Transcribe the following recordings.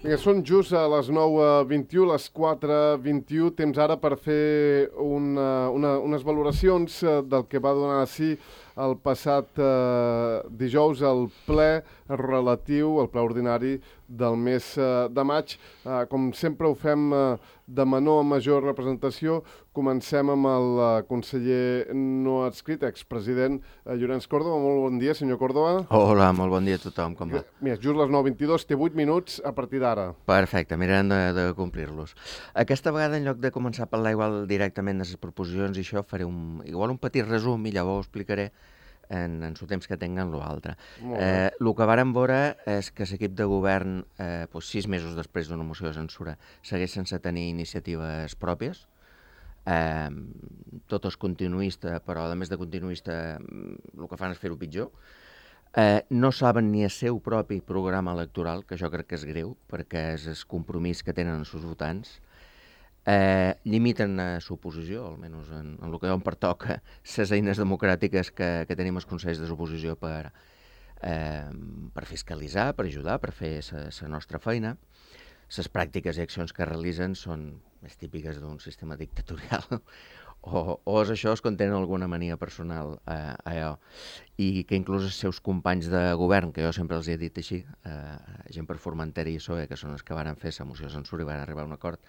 Vinga, són just a les 9:21, les 4:21, temps ara per fer unes valoracions del que va donar a si el passat dijous el ple relatiu, el ple ordinari del mes de maig. Com sempre ho fem de menor a major representació. Comencem amb el conseller no adscrit, expresident Llorenç Córdoba. Molt bon dia, senyor Córdoba. Hola, molt bon dia a tothom, com va? Mira, just les 9:22, té 8 minuts a partir d'ara. Perfecte, mirarem de complir-los. Aquesta vegada, en lloc de començar a parlar igual directament de les proposicions i això, faré igual un petit resum i llavors ho explicaré en el temps que tinguen l'altre. El que vàrem veure és que l'equip de govern, 6 mesos després d'una moció de censura, segueix sense tenir iniciatives pròpies. Tot és continuista, però a més de continuista el que fan és fer-ho pitjor. No saben ni el seu propi programa electoral, que jo crec que és greu, perquè és el compromís que tenen els seus votants. Limiten la suposició, almenys en el que em pertoca, les eines democràtiques que tenim els consells de l'oposició per fiscalitzar, per ajudar, per fer la nostra feina. Les pràctiques i accions que realitzen són més típiques d'un sistema dictatorial o és això, es contenen alguna mania personal allò, i que inclús els seus companys de govern, que jo sempre els he dit així, gent per Formentera i PSOE, que són els que van fer la moció de censura i van arribar a un acord,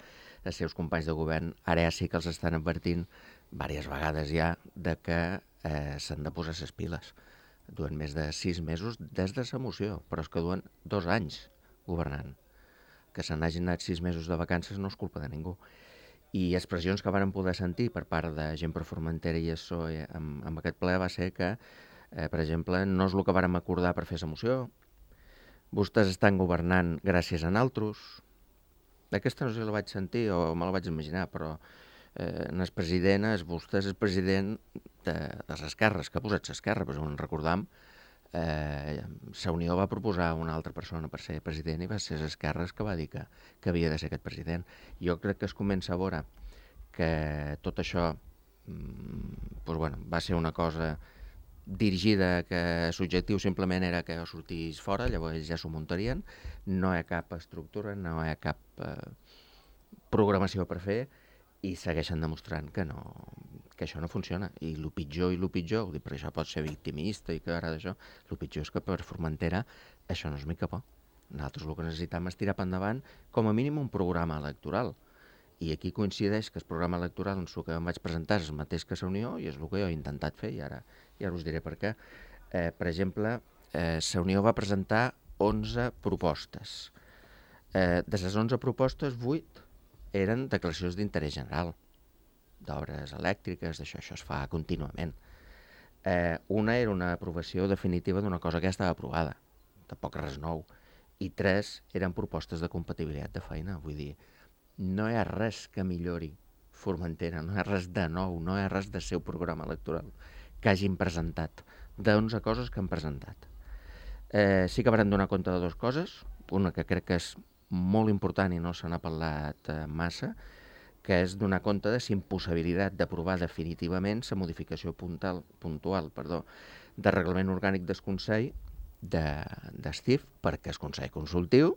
els seus companys de govern ara ja sí que els estan advertint diverses vegades ja de que s'han de posar les piles. Duen més de 6 mesos des de la moció, però és que duen 2 anys governant. Que se n'hagin anat 6 mesos de vacances no és culpa de ningú. I expressions que varen poder sentir per part de gent per Formentera i PSOE amb aquest ple va ser que, per exemple, no és el que vàrem acordar per fer la moció, vostès estan governant gràcies a naltros. Aquesta no sé si la vaig sentir o me la vaig imaginar, però el president, vostè és el president de les esquerres, que ha posat l'esquerra, però si en recordam, la Unió va proposar una altra persona per ser president i va ser Esquerra que va dir que havia de ser aquest president. Jo crec que es comença a veure que tot això va ser una cosa dirigida, que l'objectiu simplement era que jo sortís fora, llavors ja s'ho muntarien, no hi ha cap estructura, no hi ha cap programació per fer i segueixen demostrant que això no funciona. I el pitjor, ho dic perquè això pot ser victimista i que ara d'això, el pitjor és que per Formentera això no és mica por. Nosaltres el que necessitem és tirar per endavant com a mínim un programa electoral. I aquí coincideix que el programa electoral en el que em vaig presentar és el mateix que la Unió i és el que jo he intentat fer i ara us diré per què. Per exemple, la Unió va presentar 11 propostes. De les 11 propostes, 8 eren declaracions d'interès general, d'obres elèctriques, d'això es fa contínuament. Una era una aprovació definitiva d'una cosa que ja estava aprovada, tampoc res nou, i 3 eren propostes de compatibilitat de feina, vull dir, no hi ha res que millori Formentera, no hi ha res de nou, no hi ha res del seu programa electoral que hagin presentat, d'11 coses que han presentat. Sí que van donar compte de 2 coses, una que crec que és molt important i no se n'ha parlat massa, que és donar compte de la impossibilitat d'aprovar definitivament la modificació puntual del reglament orgànic del Consell d'Estif, perquè el Consell Consultiu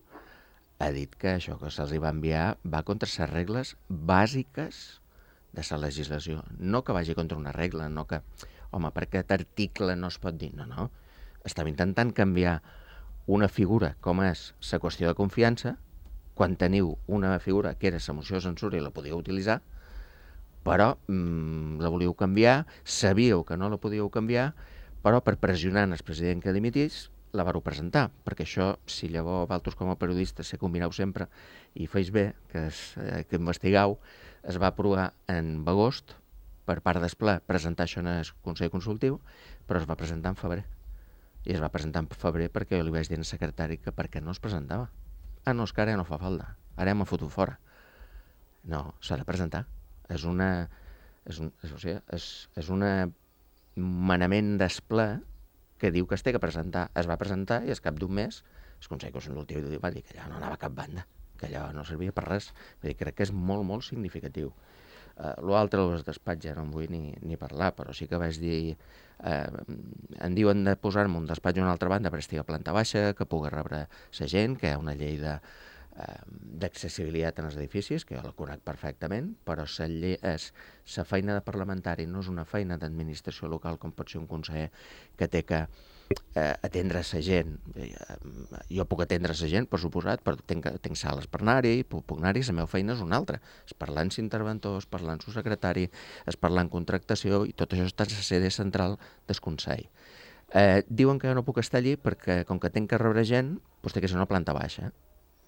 ha dit que això que se'ls va enviar va contra les regles bàsiques de la legislació. No que vagi contra una regla, no que, home, per aquest article no es pot dir, no. Estava intentant canviar una figura com és la qüestió de confiança, quan teniu una figura que era la moció de censura i la podíeu utilitzar, però la volíeu canviar, sabíeu que no la podíeu canviar, però per pressionar el president que dimitís, la vareu presentar, perquè això, si llavors vosaltres com a periodistes se combineu sempre i feis bé, que investigueu, es va aprovar en agost per part del ple presentar això en el Consell Consultiu, però es va presentar en febrer. I es va presentar en febrer perquè jo li vaig dir al secretari que per què no es presentava. No, és que ara ja no fa falta, ara ja m'ha fotut fora. No, s'ha de presentar. És un manament del ple que diu que es té que presentar. Es va presentar i al cap d'un mes el Consell Consultiu va dir que allò no anava a cap banda, que allò no servia per res. Vull dir, crec que és molt, molt significatiu. L'altre, els despatxos, ja no en vull ni parlar, però sí que vaig dir em diuen de posar-me un despatx a una altra banda per estar a planta baixa, que pugui rebre la gent, que hi ha una llei d'accessibilitat en els edificis, que jo la conec perfectament, però la feina de parlamentari no és una feina d'administració local com pot ser un conseller que té que atendre la gent. Jo puc atendre la gent, per suposat, però tinc sales per anar-hi, puc anar-hi, la meva feina és una altra. És parlar amb l'interventor, és parlar amb el secretari, és parlar amb contractació, i tot això està a la sede central del Consell. Diuen que jo no puc estar allí perquè, com que tinc que rebre gent, doncs té que ser una planta baixa.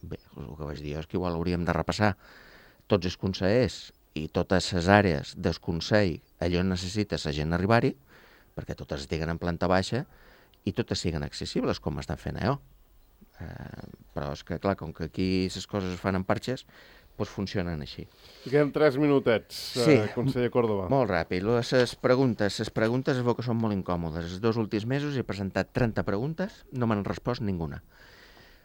Bé, el que vaig dir és que igual hauríem de repassar tots els consellers i totes les àrees del Consell allò necessita la gent arribar-hi, perquè totes estiguen en planta baixa i totes siguin accessibles, com estan fent jo. Però és que, clar, com que aquí les coses es fan en parxes, doncs funcionen així. I queden 3 minutets, conseller Córdoba. Molt ràpid. Les preguntes es veu que són molt incòmodes. Els 2 últims mesos he presentat 30 preguntes, no m'han respost ninguna.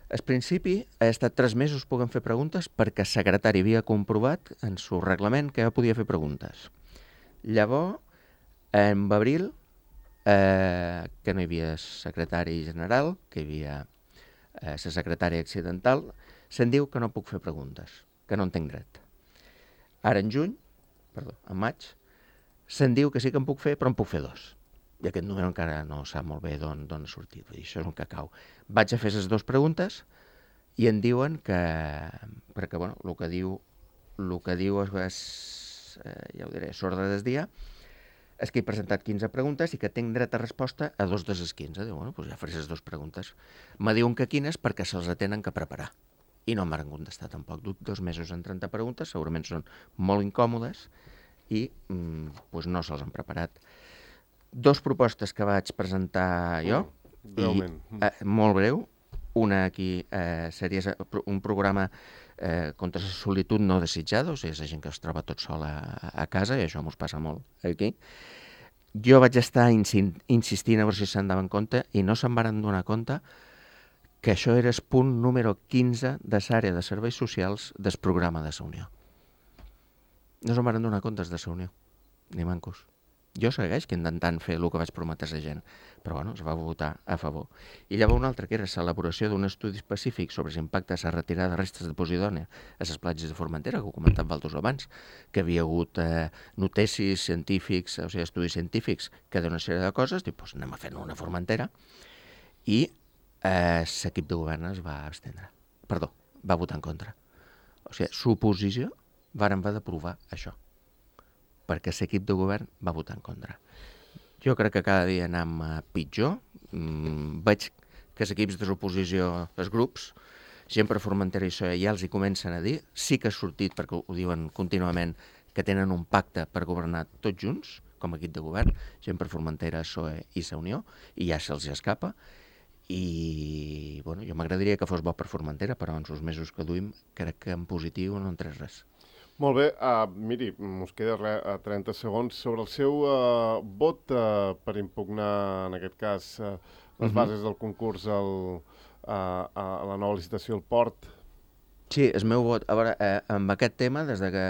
Al principi he estat 3 mesos podent fer preguntes perquè el secretari havia comprovat en el reglament que jo podia fer preguntes. Llavors, en abril, que no hi havia secretari general, que hi havia la secretària accidental, se'n diu que no puc fer preguntes, que no en tinc dret. Ara en maig, se'n diu que sí que en puc fer, però en puc fer 2. I aquest número encara no sap molt bé d'on ha sortit. Vull dir, això és un cacau. Vaig a fer les 2 preguntes i em diuen que... Perquè, bueno, el que diu és ja ho diré, s'ordre del dia, és que he presentat 15 preguntes i que tinc dret a resposta a 2 de les 15. Diu, bueno, doncs ja faré les 2 preguntes. Me diuen que quines perquè se'ls tenen que preparar. I no m'han contestat tampoc. 2 mesos en 30 preguntes, segurament són molt incòmodes i doncs no se'ls han preparat. 2 propostes que vaig presentar jo, molt breu. Una aquí seria un programa contra la solitud no desitjada, o sigui, la gent que es troba tot sol a casa, i això mos passa molt aquí. Jo vaig estar insistint a veure si se'n daven compte i no se'n van donar compte que això era el punt número 15 de l'àrea de serveis socials del programa de la Unió. No se'n van donar compte de la Unió, ni mancos. Jo segueix intentant fer el que vaig prometre a la gent, però bueno, es va votar a favor. I llavors una altra, que era l'elaboració d'un estudi específic sobre l'impacte de la retirada de restes de Posidònia a les platges de Formentera, que ho comentava Valdos abans, que havia hagut noticis científics, o sigui, estudis científics, que d'una sèrie de coses, diu, doncs anem a fer una Formentera, i l'equip de govern es va abstendre. Perdó, va votar en contra. O sigui, l'oposició varen haver d'aprovar això, perquè l'equip de govern va votar en contra. Jo crec que cada dia anem pitjor. Veig que els equips de l'oposició, els grups, gent per Formentera i PSOE, ja els hi comencen a dir, sí que ha sortit, perquè ho diuen contínuament, que tenen un pacte per governar tots junts, com a equip de govern, gent per Formentera, PSOE i la Unió, i ja se'ls escapa. I bueno, jo m'agradaria que fos bo per Formentera, però en els mesos que duim crec que en positiu no en tres res. Molt bé, miri, us queda 30 segons sobre el seu vot per impugnar, en aquest cas, les bases del concurs a la nova licitació al port. Sí, el meu vot. A veure, amb aquest tema, des de que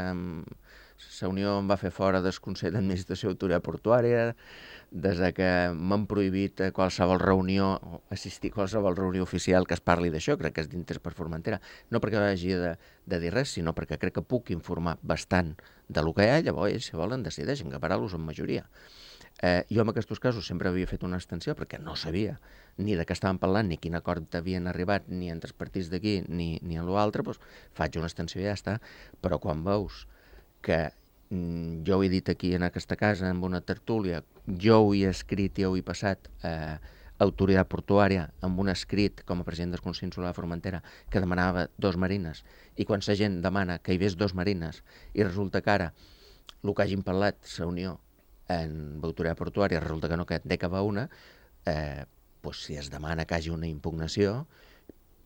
la Unió em va fer fora del Consell d'Administració Autoritat Portuària, des que m'han prohibit qualsevol reunió, assistir a qualsevol reunió oficial que es parli d'això, crec que és d'interès per Formentera, no perquè hagi de dir res, sinó perquè crec que puc informar bastant de lo que hi ha, llavors ells, si volen, decideixen que parar-los en majoria. Jo en aquests casos sempre havia fet una extensió perquè no sabia ni de què estàvem parlant, ni quin acord havien arribat, ni entre els partits d'aquí, ni en l'altre, doncs faig una extensió i ja està. Però quan veus que jo ho he dit aquí en aquesta casa, en una tertúlia, jo ho he escrit i ho he passat a Autoritat Portuària amb un escrit com a president del Consell Insular de Formentera que demanava 2 marines, i quan la gent demana que hi hagués 2 marines i resulta que ara el que hagin parlat la Unió en Autoritat Portuària resulta que no, que n'hi va una, doncs si es demana que hi hagi una impugnació,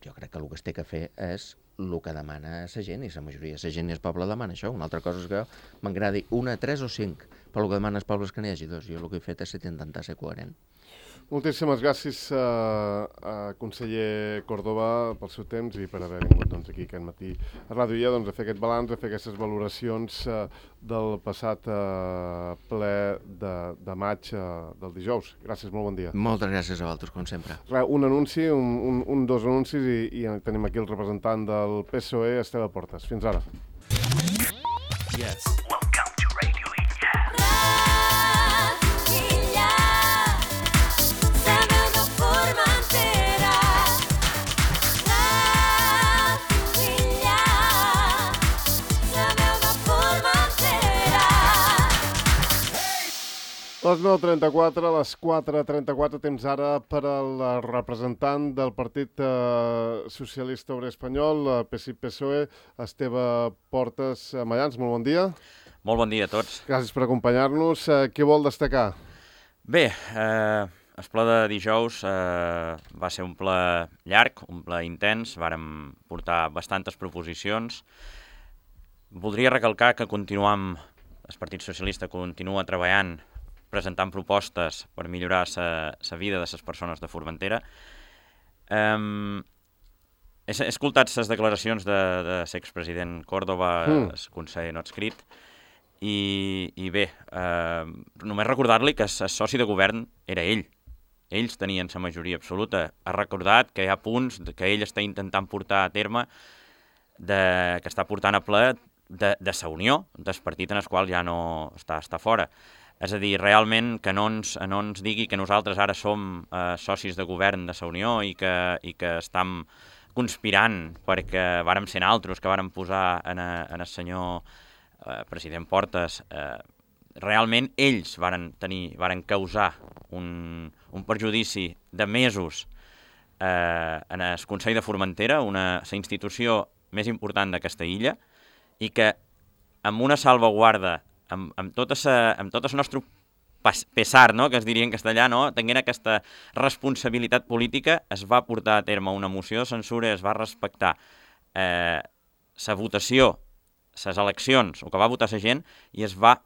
jo crec que el que es té que fer és el que demana la gent, i la majoria de la gent i el poble demana això. Una altra cosa és que m'agradi 1, 3 o 5, però el que demana el poble és que n'hi hagi 2. Jo el que he fet és intentar ser coherent. Moltíssimes gràcies a conseller Córdoba pel seu temps i per haver vingut aquí aquest matí a Ràdio IA a fer aquest balanç, a fer aquestes valoracions del passat ple de maig del dijous. Gràcies, molt bon dia. Moltes gràcies a vosaltres, com sempre. Un anunci, dos anuncis i tenim aquí el representant del PSOE, Esteve Portes. Fins ara. Yes. A les 9:34, a les 4:34, temps ara per al representant del Partit Socialista Obrer Espanyol, PSI-PSOE, Esteve Portes Mallans. Molt bon dia. Molt bon dia a tots. Gràcies per acompanyar-nos. Què vol destacar? Bé, el ple de dijous va ser un ple llarg, un ple intens, vàrem portar bastantes proposicions. Voldria recalcar que el Partit Socialista continua treballant, presentant propostes per millorar la vida de les persones de Formentera. He escoltat les declaracions de l'expresident Córdoba, el conseller no adscrit, i bé, només recordar-li que el soci de govern era ell. Ells tenien la majoria absoluta. Ha recordat que hi ha punts que ell està intentant portar a terme, que està portant a ple de la Unió, del partit en el qual ja no està fora. És a dir, realment que no ens digui que nosaltres ara som socis de govern de la Unió i que estem conspirant perquè vàrem ser altres que vàrem posar en el senyor president Portes. Realment ells varen causar un perjudici de mesos en el Consell de Formentera, la institució més important d'aquesta illa, i que amb una salvaguarda, amb tot el nostre pesar, no?, que es diria en castellà, no?, tenint aquesta responsabilitat política, es va portar a terme una moció de censura, es va respectar la votació, les eleccions, el que va votar la gent, i es va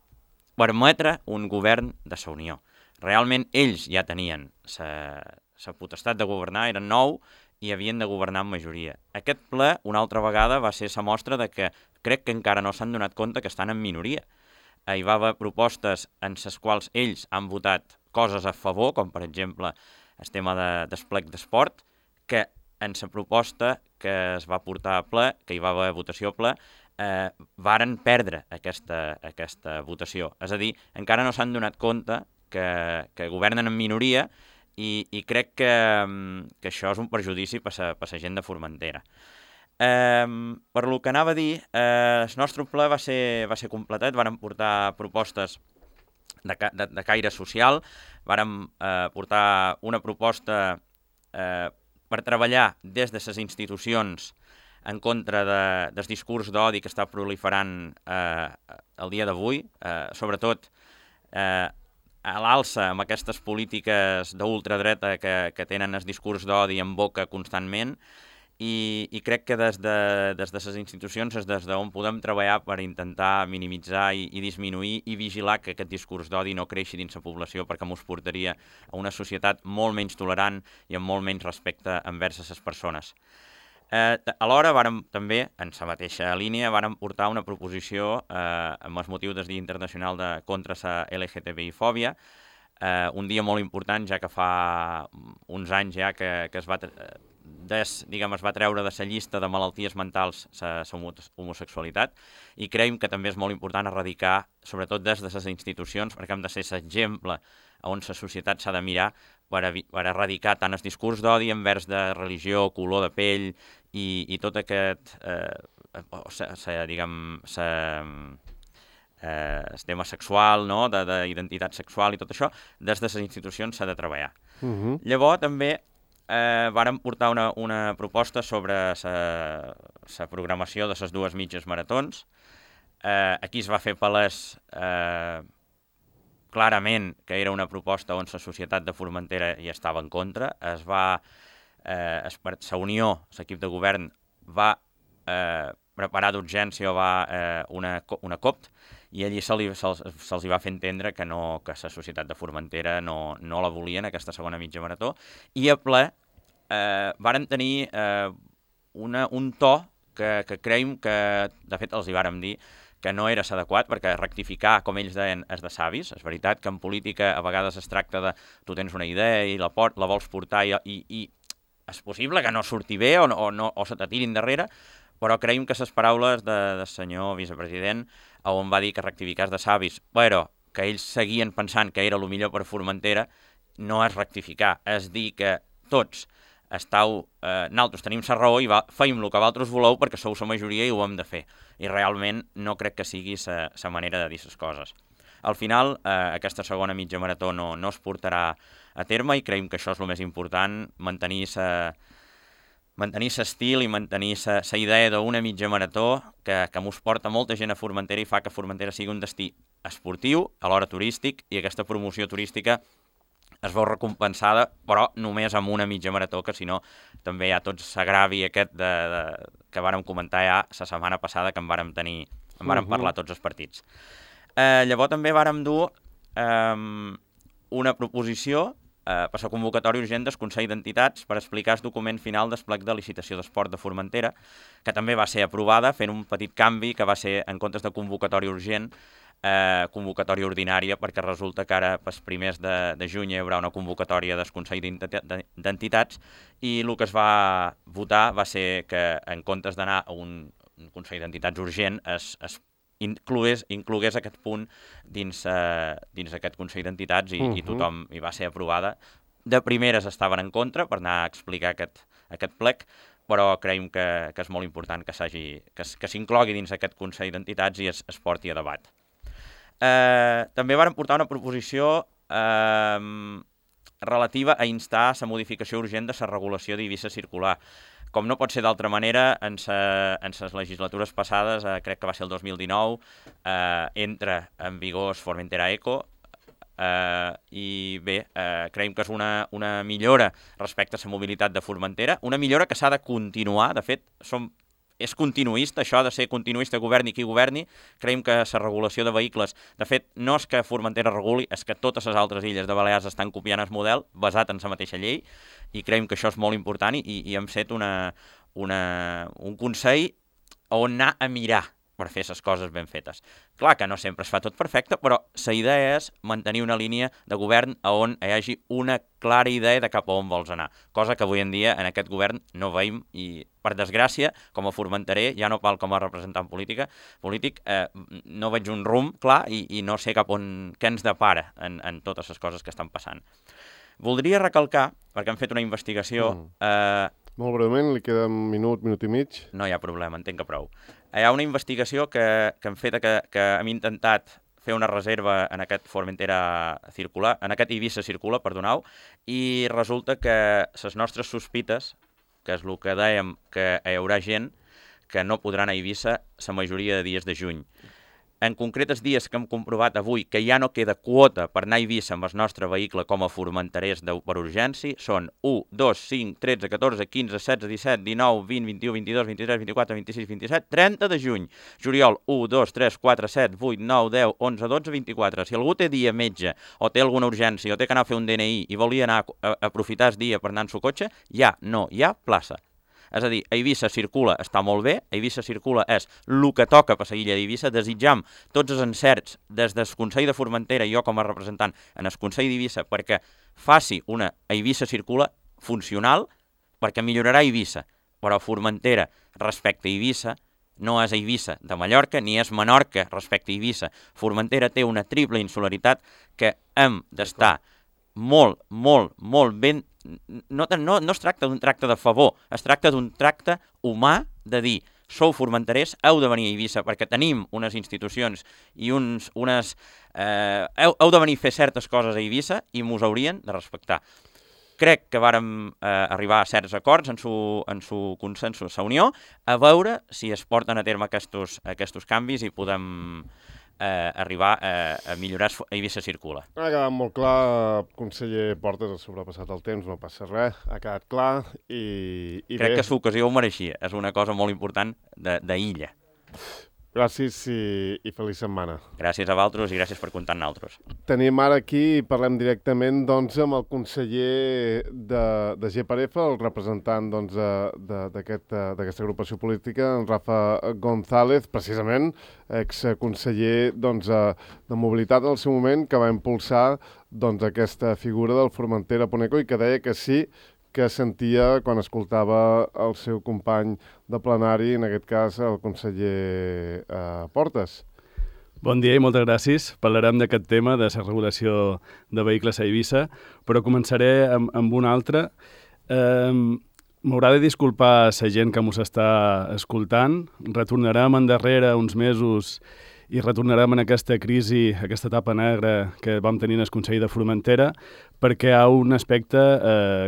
permetre un govern de la Unió. Realment ells ja tenien la potestat de governar, eren 9 i havien de governar amb majoria. Aquest ple, una altra vegada, va ser la mostra de que crec que encara no s'han donat compte que estan en minoria. Hi va haver propostes en les quals ells han votat coses a favor, com per exemple el tema de desplec d'esport, que en la proposta que es va portar a ple, que hi va haver votació a ple, varen perdre aquesta votació. És a dir, encara no s'han donat compte que governen en minoria i crec que això és un perjudici per la gent de Formentera. Per lo que anava a dir, el nostre ple va ser completat, vàrem portar propostes de caire social, vàrem portar una proposta per treballar des de les institucions en contra del discurs d'odi que està proliferant el dia d'avui, sobretot a l'alça amb aquestes polítiques d'ultradreta que tenen el discurs d'odi en boca constantment, i crec que des de les institucions és des d'on podem treballar per intentar minimitzar i disminuir i vigilar que aquest discurs d'odi no creixi dins la població, perquè ens portaria a una societat molt menys tolerant i amb molt menys respecte envers les persones. Alhora, també, en la mateixa línia, vàrem portar una proposició amb el motiu del Dia Internacional contra la LGTBI-fòbia, un dia molt important, ja que fa uns anys ja que es va treure de la llista de malalties mentals la homosexualitat, i creiem que també és molt important erradicar, sobretot des de les institucions, perquè hem de ser l'exemple on la societat s'ha de mirar per erradicar tant el discurs d'odi envers de religió, color de pell i tot aquest el tema sexual, no?, d'identitat sexual i tot això, des de les institucions s'ha de treballar. Llavors també vàrem portar una proposta sobre la programació de les 2 mitges maratons. Aquí es va fer palès clarament que era una proposta on la societat de Formentera hi estava en contra. La Unió, l'equip de govern, va preparar d'urgència una COP, i allí se'ls va fer entendre que no, que la societat de Formentera no la volien, aquesta segona mitja marató, i a ple varen tenir un to que creiem que, de fet, els hi vàrem dir que no era adequat, perquè rectificar, com ells deien, és de savis. És veritat que en política a vegades es tracta de tu tens una idea i la vols portar i és possible que no surti bé o se te tirin darrere, però creiem que les paraules del senyor vicepresident, on va dir que rectificar és de savis, però que ells seguien pensant que era el millor per Formentera, no és rectificar, és dir que tots nosaltres tenim la raó i feim el que vosaltres voleu perquè sou la majoria i ho hem de fer. I realment no crec que sigui la manera de dir les coses. Al final, aquesta segona mitja marató no es portarà a terme i creiem que això és el més important, mantenir l'estil i mantenir la idea d'una mitja marató que mos porta molta gent a Formentera i fa que Formentera sigui un destí esportiu, alhora turístic, i aquesta promoció turística es veu recompensada, però només amb una mitja marató, que si no també hi ha tot l'agravi aquest que vàrem comentar ja la setmana passada, que en vàrem parlar tots els partits. Llavors també vàrem dur una proposició per la convocatòria urgent del Consell d'Entitats per explicar el document final del plec de licitació d'esport de Formentera, que també va ser aprovada fent un petit canvi, que va ser, en comptes de convocatòria urgent, convocatòria ordinària, perquè resulta que ara pels primers de juny hi haurà una convocatòria del Consell d'Entitats i el que es va votar va ser que en comptes d'anar a un Consell d'Entitats urgent es inclogués aquest punt dins aquest Consell d'Entitats i tothom hi va ser aprovada. De primeres estaven en contra per anar a explicar aquest plec, però creiem que és molt important que s'inclogui dins aquest Consell d'Entitats i es porti a debat. També vàrem portar una proposició relativa a instar la modificació urgent de la regulació d'Eivissa circular. Com no pot ser d'altra manera, en les legislatures passades, crec que va ser el 2019, entra en vigor Formentera Eco, i bé, creiem que és una millora respecte a la mobilitat de Formentera, una millora que s'ha de continuar. De fet, és continuista, això ha de ser continuista, governi qui governi. Creiem que la regulació de vehicles, de fet, no és que Formentera reguli, és que totes les altres illes de Balears estan copiant el model basat en la mateixa llei, i creiem que això és molt important i hem fet un consell on anar a mirar per fer les coses ben fetes. Clar que no sempre es fa tot perfecte, però la idea és mantenir una línia de govern on hi hagi una clara idea de cap a on vols anar, cosa que avui en dia en aquest govern no veiem i, per desgràcia, com a formenterer, ja no val com a representant polític, no veig un rumb clar i no sé què ens depara en totes les coses que estan passant. Voldria recalcar, perquè hem fet una investigació... Molt breument, li queda un minut i mig. No hi ha problema, entenc que prou. Hi ha una investigació que hem fet, que hem intentat fer una reserva en aquest Formentera circular, en aquest Eivissa circular, perdoneu, i resulta que les nostres sospites, que és el que dèiem, que hi haurà gent que no podrà anar a Eivissa la majoria de dies de juny. En concret, els dies que hem comprovat avui que ja no queda quota per anar a Eivissa amb el nostre vehicle com a formenterers per urgència són 1, 2, 5, 13, 14, 15, 16, 17, 19, 20, 21, 22, 23, 24, 26, 27, 30 de juny. Juliol, 1, 2, 3, 4, 7, 8, 9, 10, 11, 12, 24. Si algú té dia metge o té alguna urgència o té que anar a fer un DNI i volia anar a aprofitar el dia per anar en el cotxe, ja no hi ha plaça. És a dir, Eivissa circula està molt bé, Eivissa circula és el que toca per la illa d'Eivissa. Desitjam tots els encerts des del Consell de Formentera i jo com a representant en el Consell d'Eivissa perquè faci una Eivissa circula funcional, perquè millorarà Eivissa, però Formentera respecte a Eivissa no és Eivissa de Mallorca ni és Menorca respecte a Eivissa. Formentera té una triple insularitat que hem d'estar molt, molt, molt ben... No es tracta d'un tracte de favor, es tracta d'un tracte humà de dir sou formenterers, heu de venir a Eivissa perquè tenim unes institucions i heu de venir a fer certes coses a Eivissa i mos haurien de respectar. Crec que vàrem arribar a certs acords en su consensos, la unió, a veure si es porten a terme aquests canvis i podem arribar a millorar Eivissa circula. Ha quedat molt clar, conseller Portes, ha sobrepassat el temps, no passa res, ha quedat clar i crec que l'ocasió ho mereixia, és una cosa molt important d'illa. Gràcies i feliç setmana. Gràcies a vosaltres i gràcies per comptar amb nosaltres. Tenim ara aquí i parlem directament doncs, amb el conseller de GPRF, el representant doncs, d'aquesta agrupació política, en Rafa González, precisament, exconseller doncs, de mobilitat en el seu moment, que va impulsar doncs, aquesta figura del Formentera Poneco i que deia que sí, que sentia quan escoltava el seu company de plenari, en aquest cas el conseller Portes. Bon dia i moltes gràcies. Parlarem d'aquest tema de la regulació de vehicles a Eivissa, però començaré amb un altre. M'haurà de disculpar la gent que mos està escoltant. Retornarem endarrere uns mesos i retornarem en aquesta crisi, aquesta etapa negra que vam tenir en el Consell de Formentera, perquè hi ha un aspecte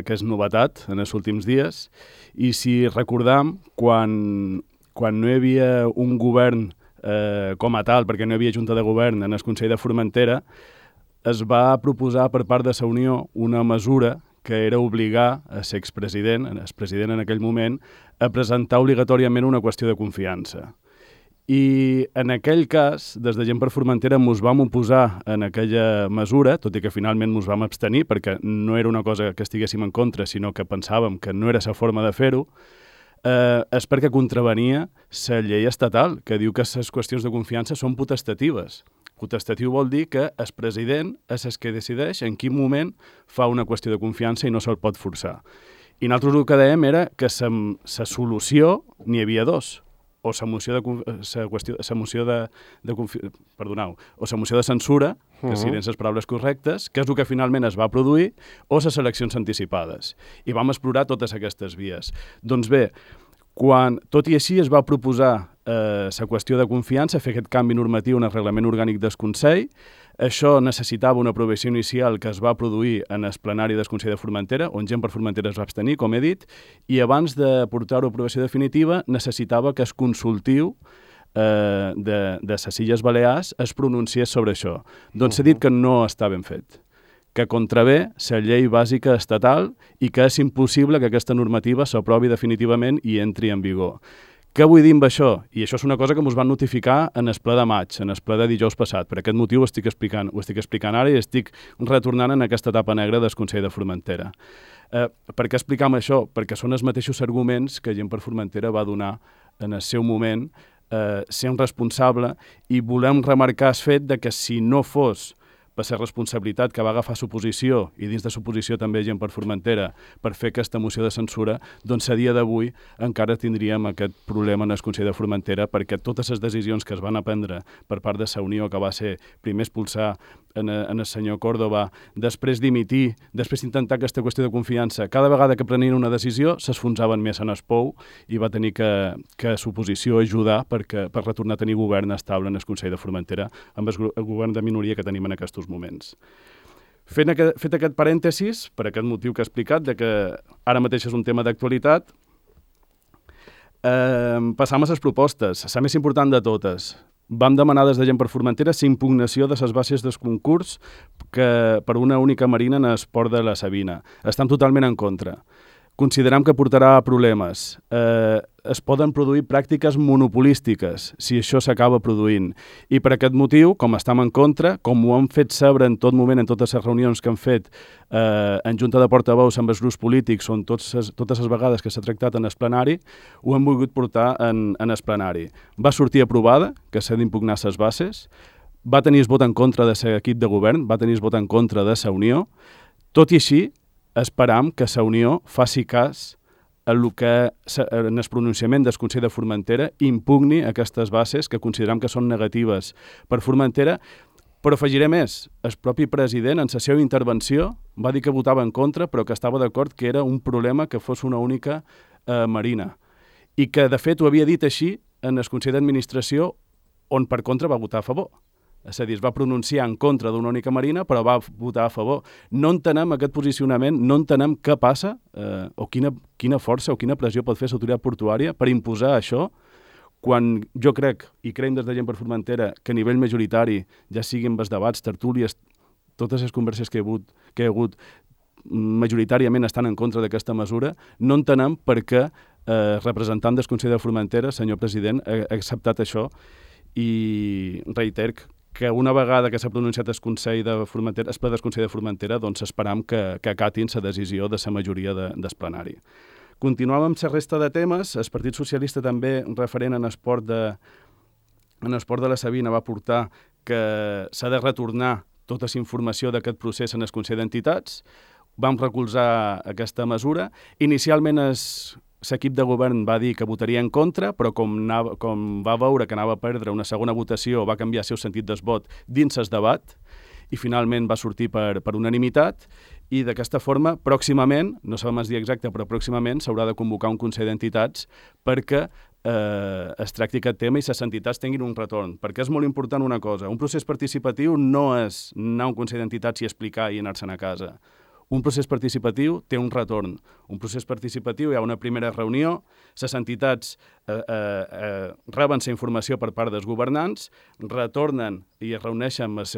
que és novetat en els últims dies, i si recordam, quan no hi havia un govern com a tal, perquè no hi havia junta de govern en el Consell de Formentera, es va proposar per part de la Unió una mesura que era obligar a l'expresident, el president en aquell moment, a presentar obligatòriament una qüestió de confiança. I en aquell cas, des de Gent per Formentera, ens vam oposar en aquella mesura, tot i que finalment ens vam abstenir, perquè no era una cosa que estiguéssim en contra, sinó que pensàvem que no era la forma de fer-ho, és perquè contravenia la llei estatal, que diu que les qüestions de confiança són potestatives. Potestatiu vol dir que el president és el que decideix en quin moment fa una qüestió de confiança i no se'l pot forçar. I nosaltres el que dèiem era que la solució n'hi havia dos, o la moció de censura, que siguin les paraules correctes, que és el que finalment es va produir, o les eleccions anticipades. I vam explorar totes aquestes vies. Doncs bé, tot i així es va proposar la qüestió de confiança, fer aquest canvi normatiu en el reglament orgànic del Consell. Això necessitava una aprovació inicial que es va produir en el plenari del Consell de Formentera, on Gent per Formentera es va abstenir, com he dit, i abans de portar-ho a aprovació definitiva necessitava que el consultiu de les Illes Balears es pronunciés sobre això. Doncs s'ha dit que no està ben fet, que contravé la llei bàsica estatal i que és impossible que aquesta normativa s'aprovi definitivament i entri en vigor. Què vull dir amb això? I això és una cosa que ens van notificar en el ple de maig, en el ple de dijous passat. Per aquest motiu ho estic explicant ara i estic retornant en aquesta etapa negra del Consell de Formentera. Per què explicam això? Perquè són els mateixos arguments que Gent per Formentera va donar en el seu moment sent responsable, i volem remarcar el fet de que si no fos per la responsabilitat que va agafar l'oposició, i dins de l'oposició també Gent per Formentera, per fer aquesta moció de censura, doncs a dia d'avui encara tindríem aquest problema en el Consell de Formentera, perquè totes les decisions que es van prendre per part de la Unió, que va ser primer expulsar en el senyor Córdoba, després dimitir, després intentar aquesta qüestió de confiança, cada vegada que prenien una decisió s'esfonsaven més en el pou i va tenir que l'oposició ajudar per retornar a tenir govern estable en el Consell de Formentera amb el govern de minoria que tenim en aquests moments. Fet aquest parèntesis, per aquest motiu que he explicat, de que ara mateix és un tema d'actualitat, passam a les propostes, la més important de totes. Vam demanar des de Gent per Formentera la impugnació de les bases del concurs per una única marina en el port de la Sabina. Estem totalment en contra. Considerem que portarà problemes. Es poden produir pràctiques monopolístiques si això s'acaba produint. I per aquest motiu, com estem en contra, com ho hem fet saber en tot moment, en totes les reunions que hem fet en junta de portaveus amb els grups polítics, on totes les vegades que s'ha tractat en el plenari, ho hem volgut portar en el plenari. Va sortir aprovada, que s'ha d'impugnar les bases, va tenir el vot en contra de l'equip de govern, va tenir el vot en contra de la Unió. Tot i així, esperam que la Unió faci cas en el pronunciament del Consell de Formentera impugni aquestes bases que considerem que són negatives per Formentera, però afegiré més. El propi president, en la seva intervenció, va dir que votava en contra, però que estava d'acord que era un problema que fos una única marina. I que, de fet, ho havia dit així en el Consell d'Administració, on per contra va votar a favor. És a dir, es va pronunciar en contra d'una única marina, però va votar a favor. No entenem aquest posicionament, no entenem què passa o quina força o quina pressió pot fer l'autoritat portuària per imposar això, quan jo crec, i creiem des de Gent per Formentera, que a nivell majoritari, ja siguin els debats, tertúlies, totes les converses que hi ha hagut majoritàriament estan en contra d'aquesta mesura, no entenem per què representant del Consell de Formentera, senyor president, ha acceptat això. i reiter que una vegada que s'ha pronunciat el ple del Consell de Formentera, doncs esperam que acatin la decisió de la majoria del plenari. Continuem amb la resta de temes. El Partit Socialista també, referent en esport de la Sabina, va portar que s'ha de retornar tota la informació d'aquest procés en el Consell d'Entitats. Vam recolzar aquesta mesura. Inicialment l'equip de govern va dir que votaria en contra, però com va veure que anava a perdre una segona votació, va canviar el seu sentit del vot dins el debat i finalment va sortir per unanimitat. I d'aquesta forma, pròximament, no sabem el dia exacte, però pròximament s'haurà de convocar un Consell d'Entitats perquè es tracti aquest tema i les entitats tinguin un retorn. Perquè és molt important una cosa, un procés participatiu no és anar a un Consell d'Entitats i explicar i anar-se'n a casa. Un procés participatiu té un retorn. Un procés participatiu hi ha una primera reunió, les entitats reben la informació per part dels governants, retornen i es reuneixen amb els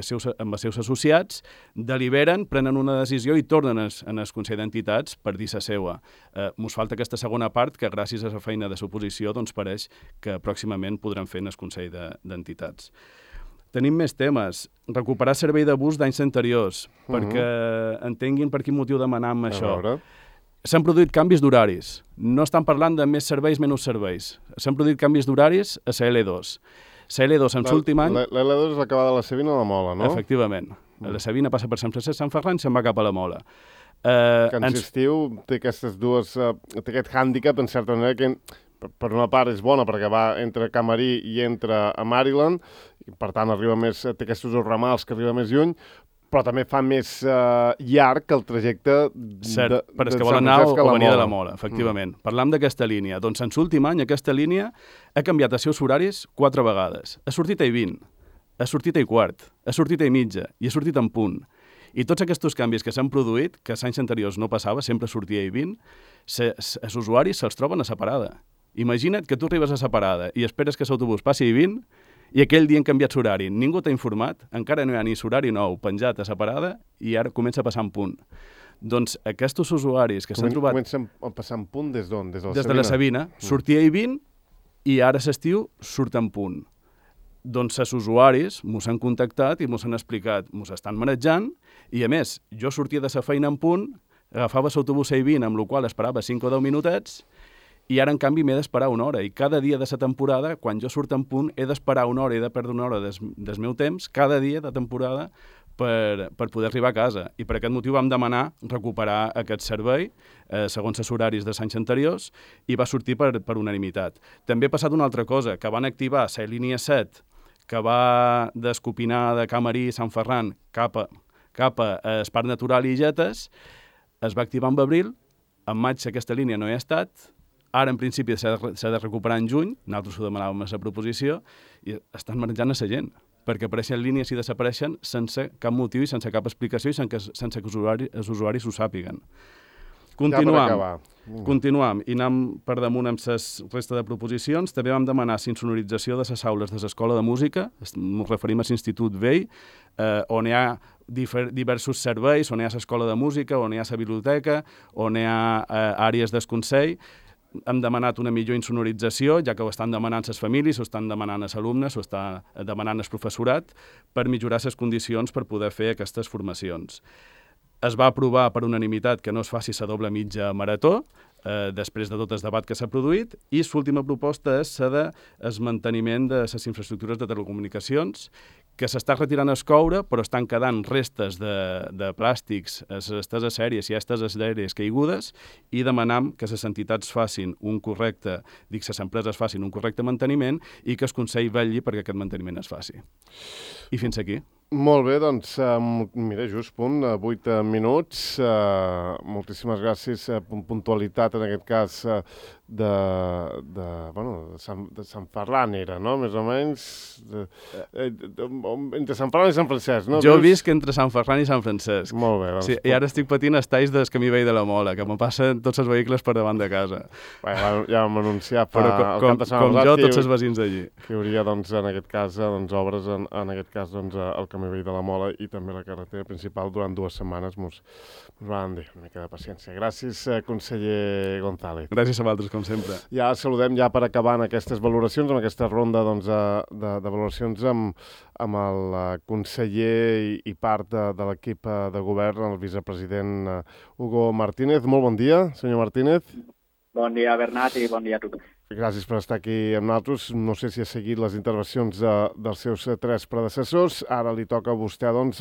seus associats, deliberen, prenen una decisió i tornen en el Consell d'Entitats per dir la seva. Mos falta aquesta segona part que gràcies a la feina de l'oposició doncs pareix que pròximament podran fer en el Consell d'Entitats. Tenim més temes. Recuperar servei de bus d'anys anteriors, perquè entenguin per quin motiu demanem això. S'han produït canvis d'horaris. No estan parlant de més serveis, menys serveis. S'han produït canvis d'horaris a la L2. La L2 en l'últim any... La L2 és l'acabada de la Sabina a la Mola, no? Efectivament. La Sabina passa per Sant Francesc, Sant Ferran i se'n va cap a la Mola. Que en estiu té aquestes dues... té aquest hàndicap, en certa manera, que per una part és bona perquè va entre Camarí i entra a Maryland, i per tant té aquests dos ramals que arriba més lluny, però també fa més llarg el trajecte Cert, però és que vol anar o venir de la Mola, efectivament. Parlam d'aquesta línia. Doncs en l'últim any aquesta línia ha canviat els seus horaris 4 vegades. Ha sortit a 20, ha sortit a 15, ha sortit a mitja i ha sortit en punt. I tots aquests canvis que s'han produït, que els anys anteriors no passava, sempre sortia a 20, els usuaris se'ls troben a la parada. Imagina't que tu arribes a la parada i esperes que l'autobús passi a 20 i aquell dia han canviat l'horari. Ningú t'ha informat, encara no hi ha ni l'horari nou penjat a la parada i ara comença a passar en punt. Doncs aquests usuaris que s'han trobat... Comencen a passar en punt des d'on? Des de la Sabina. Sortia a 20 i ara a l'estiu surt en punt. Doncs els usuaris mos han contactat i mos han explicat, mos estan manejant i a més, jo sortia de la feina en punt, agafava l'autobús a 20, amb el qual esperava 5 o 10 minutets, i ara, en canvi, m'he d'esperar una hora. I cada dia de la temporada, quan jo surto en punt, he d'esperar una hora, he de perdre una hora del meu temps, cada dia de temporada, per poder arribar a casa. I per aquest motiu vam demanar recuperar aquest servei, segons els horaris dels anys anteriors, i va sortir per unanimitat. També ha passat una altra cosa, que van activar la línia 7, que va d'Escopinar, de Camarí, Sant Ferran, cap a Parc Natural i Illetes, es va activar en abril, en maig aquesta línia no hi ha estat, ara, en principi, s'ha de recuperar en juny, nosaltres ho demanàvem a la proposició, i estan manejant a la gent, perquè apareixen línies i desapareixen sense cap motiu i sense cap explicació i sense que els usuaris ho sàpiguen. Continuam i anem per damunt amb la resta de proposicions. També vam demanar la insonorització de les aules de l'Escola de Música, ens referim a l'Institut Vell, on hi ha diversos serveis, on hi ha l'Escola de Música, on hi ha la biblioteca, on hi ha àrees del Consell. Hem demanat una millor insonorització, ja que ho estan demanant les famílies, ho estan demanant els alumnes, ho està demanant el professorat, per millorar les condicions per poder fer aquestes formacions. Es va aprovar per unanimitat que no es faci la doble mitja marató, després de tot el debat que s'ha produït, i l'última proposta és la del manteniment de les infraestructures de telecomunicacions, que s'està retirant el coure, però estan quedant restes de plàstics, les esteses aèries i esteses aèries caigudes, i demanam que les entitats facin un correcte, les empreses facin un correcte manteniment i que el Consell vetlli perquè aquest manteniment es faci. I fins aquí. Molt bé, doncs, mira, just punt, 8 minuts. Moltíssimes gràcies. Puntualitat, en aquest cas, de Sant Ferran era, no?, més o menys. Entre Sant Ferran i Sant Francesc, no? Jo visc entre Sant Ferran i Sant Francesc. Molt bé. Doncs, sí, i ara estic patint els talls del camí vell de la Mola, que me passen tots els vehicles per davant de casa. Bé, ja vam anunciar fa el cap de setmana. Com jo, tots els veïns d'allí. Que hi hauria, doncs, en aquest cas, obres, en aquest cas, doncs, el camí vell de la Mola i també la carretera principal durant 2 setmanes. Mos van dir una mica de paciència. Gràcies, conseller González. Gràcies a vosaltres, com sempre. Ja saludem ja per acabar en aquestes valoracions, amb aquesta ronda doncs, de valoracions amb el conseller i part de l'equip de govern, el vicepresident Hugo Martínez. Molt bon dia, senyor Martínez. Bon dia, Bernat, i bon dia a tothom. Gràcies per estar aquí amb nosaltres. No sé si ha seguit les intervencions dels seus 3 predecessors. Ara li toca a vostè doncs,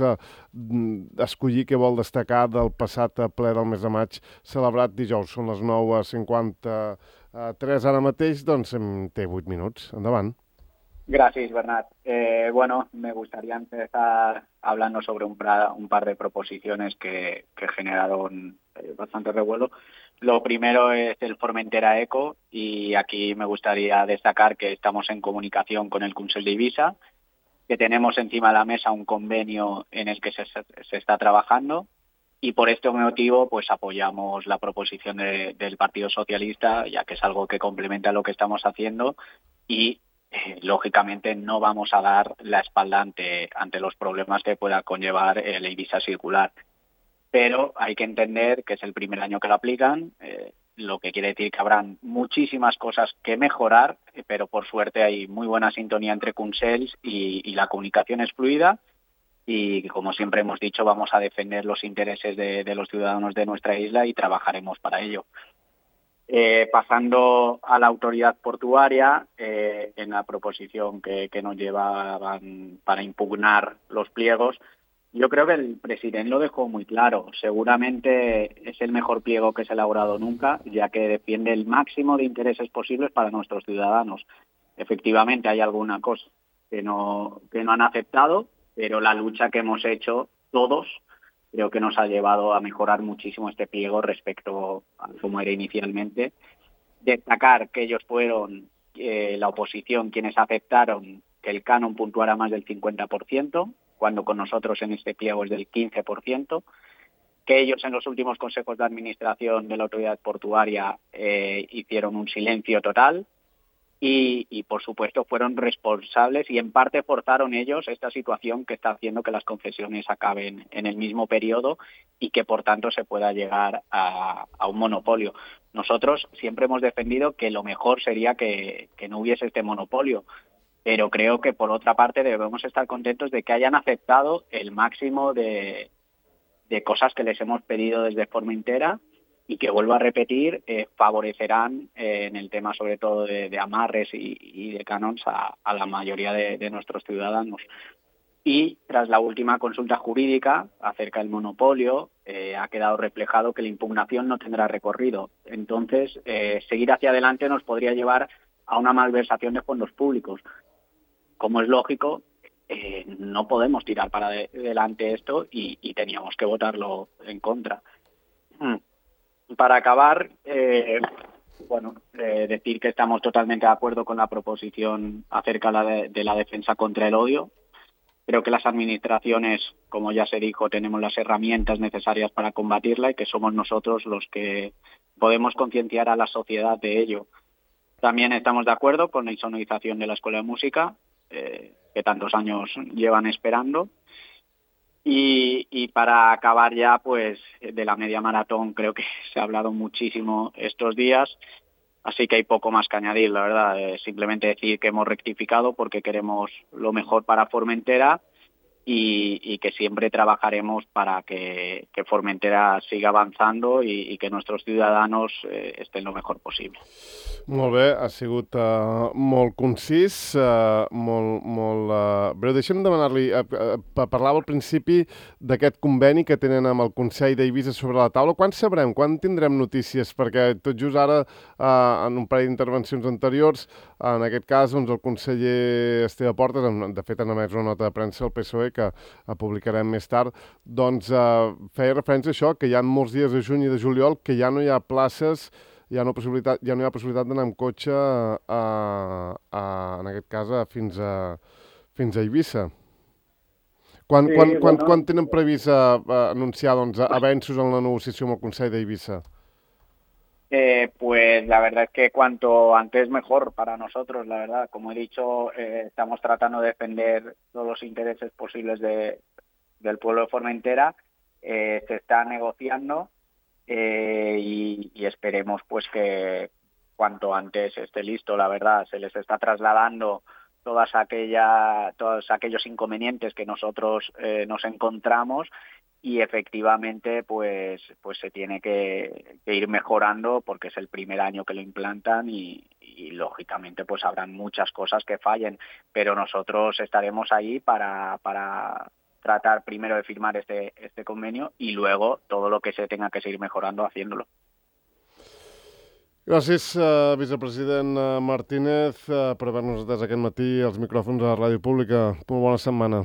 escollir què vol destacar del passat ple del mes de maig celebrat dijous. Són les 9:53 ara mateix, doncs té 8 minuts. Endavant. Gracias, Bernat. Me gustaría empezar hablando sobre un par de proposiciones que generaron bastante revuelo. Lo primero es el Formentera Eco, y aquí me gustaría destacar que estamos en comunicación con el Consell d'Eivissa, que tenemos encima de la mesa un convenio en el que se está trabajando, y por este motivo pues apoyamos la proposición del Partido Socialista, ya que es algo que complementa lo que estamos haciendo, y lógicamente no vamos a dar la espalda ante los problemas que pueda conllevar el Eivissa circular. Pero hay que entender que es el primer año que lo aplican, lo que quiere decir que habrán muchísimas cosas que mejorar, pero por suerte hay muy buena sintonía entre consells y la comunicación es fluida, y como siempre hemos dicho, vamos a defender los intereses de los ciudadanos de nuestra isla y trabajaremos para ello. Pasando a la autoridad portuaria, en la proposición que nos llevaban para impugnar los pliegos, yo creo que el presidente lo dejó muy claro. Seguramente es el mejor pliego que se ha elaborado nunca, ya que defiende el máximo de intereses posibles para nuestros ciudadanos. Efectivamente hay alguna cosa que no han aceptado, pero la lucha que hemos hecho todos creo que nos ha llevado a mejorar muchísimo este pliego respecto a cómo era inicialmente. Destacar que ellos fueron la oposición quienes aceptaron que el canon puntuara más del 50%, cuando con nosotros en este pliego es del 15%, que ellos en los últimos consejos de administración de la autoridad portuaria hicieron un silencio total y por supuesto fueron responsables y en parte forzaron ellos esta situación que está haciendo que las concesiones acaben en el mismo periodo y que por tanto se pueda llegar a un monopolio. Nosotros siempre hemos defendido que lo mejor sería que no hubiese este monopolio, pero creo que por otra parte debemos estar contentos de que hayan aceptado el máximo de cosas que les hemos pedido desde Formentera y que, vuelvo a repetir, favorecerán en el tema sobre todo de amarres y de canons a la mayoría de nuestros ciudadanos. Y tras la última consulta jurídica acerca del monopolio, ha quedado reflejado que la impugnación no tendrá recorrido. Entonces, seguir hacia adelante nos podría llevar a una malversación de fondos públicos. Como es lógico, no podemos tirar para adelante esto y teníamos que votarlo en contra. Para acabar, decir que estamos totalmente de acuerdo con la proposición acerca de la defensa contra el odio. Creo que las administraciones, como ya se dijo, tenemos las herramientas necesarias para combatirla y que somos nosotros los que podemos concienciar a la sociedad de ello. También estamos de acuerdo con la insonorización de la Escuela de Música, que tantos años llevan esperando. Y para acabar ya, pues de la media maratón creo que se ha hablado muchísimo estos días, así que hay poco más que añadir, la verdad. Simplemente decir que hemos rectificado porque queremos lo mejor para Formentera y que siempre trabajaremos para que Formentera siga avanzando y que nuestros ciudadanos estén lo mejor posible. Molt bé, ha sigut molt concís, molt breu. Deixa'm demanar-li, parlava al principi d'aquest conveni que tenen amb el Consell d'Eivissa sobre la taula. Quan sabrem, quan tindrem notícies? Perquè tot just ara, en un parell d'intervencions anteriors, en aquest cas, doncs, el conseller Esteve Portes, de fet han emès una nota de premsa al PSOE que publicarem més tard, doncs feia referència a això, que hi ha molts dies de juny i de juliol que ja no hi ha places, ja no hi ha possibilitat d'anar amb cotxe en aquest cas fins a Eivissa. Quan tenen previst anunciar avenços en la negociació amb el Consell d'Eivissa? Pues la verdad es que cuanto antes mejor para nosotros, la verdad. Como he dicho, estamos tratando de defender todos los intereses posibles del pueblo de Formentera. Se está negociando y esperemos pues que cuanto antes esté listo, la verdad. Se les está trasladando todos aquellos inconvenientes que nosotros nos encontramos y efectivamente pues se tiene que ir mejorando porque es el primer año que lo implantan y lógicamente pues habrán muchas cosas que fallen, pero nosotros estaremos ahí para tratar primero de firmar este convenio y luego todo lo que se tenga que seguir mejorando haciéndolo. Gràcies, vicepresident Martínez, per haver-nos atès aquest matí als micròfons de la Ràdio Pública. Molt bona setmana.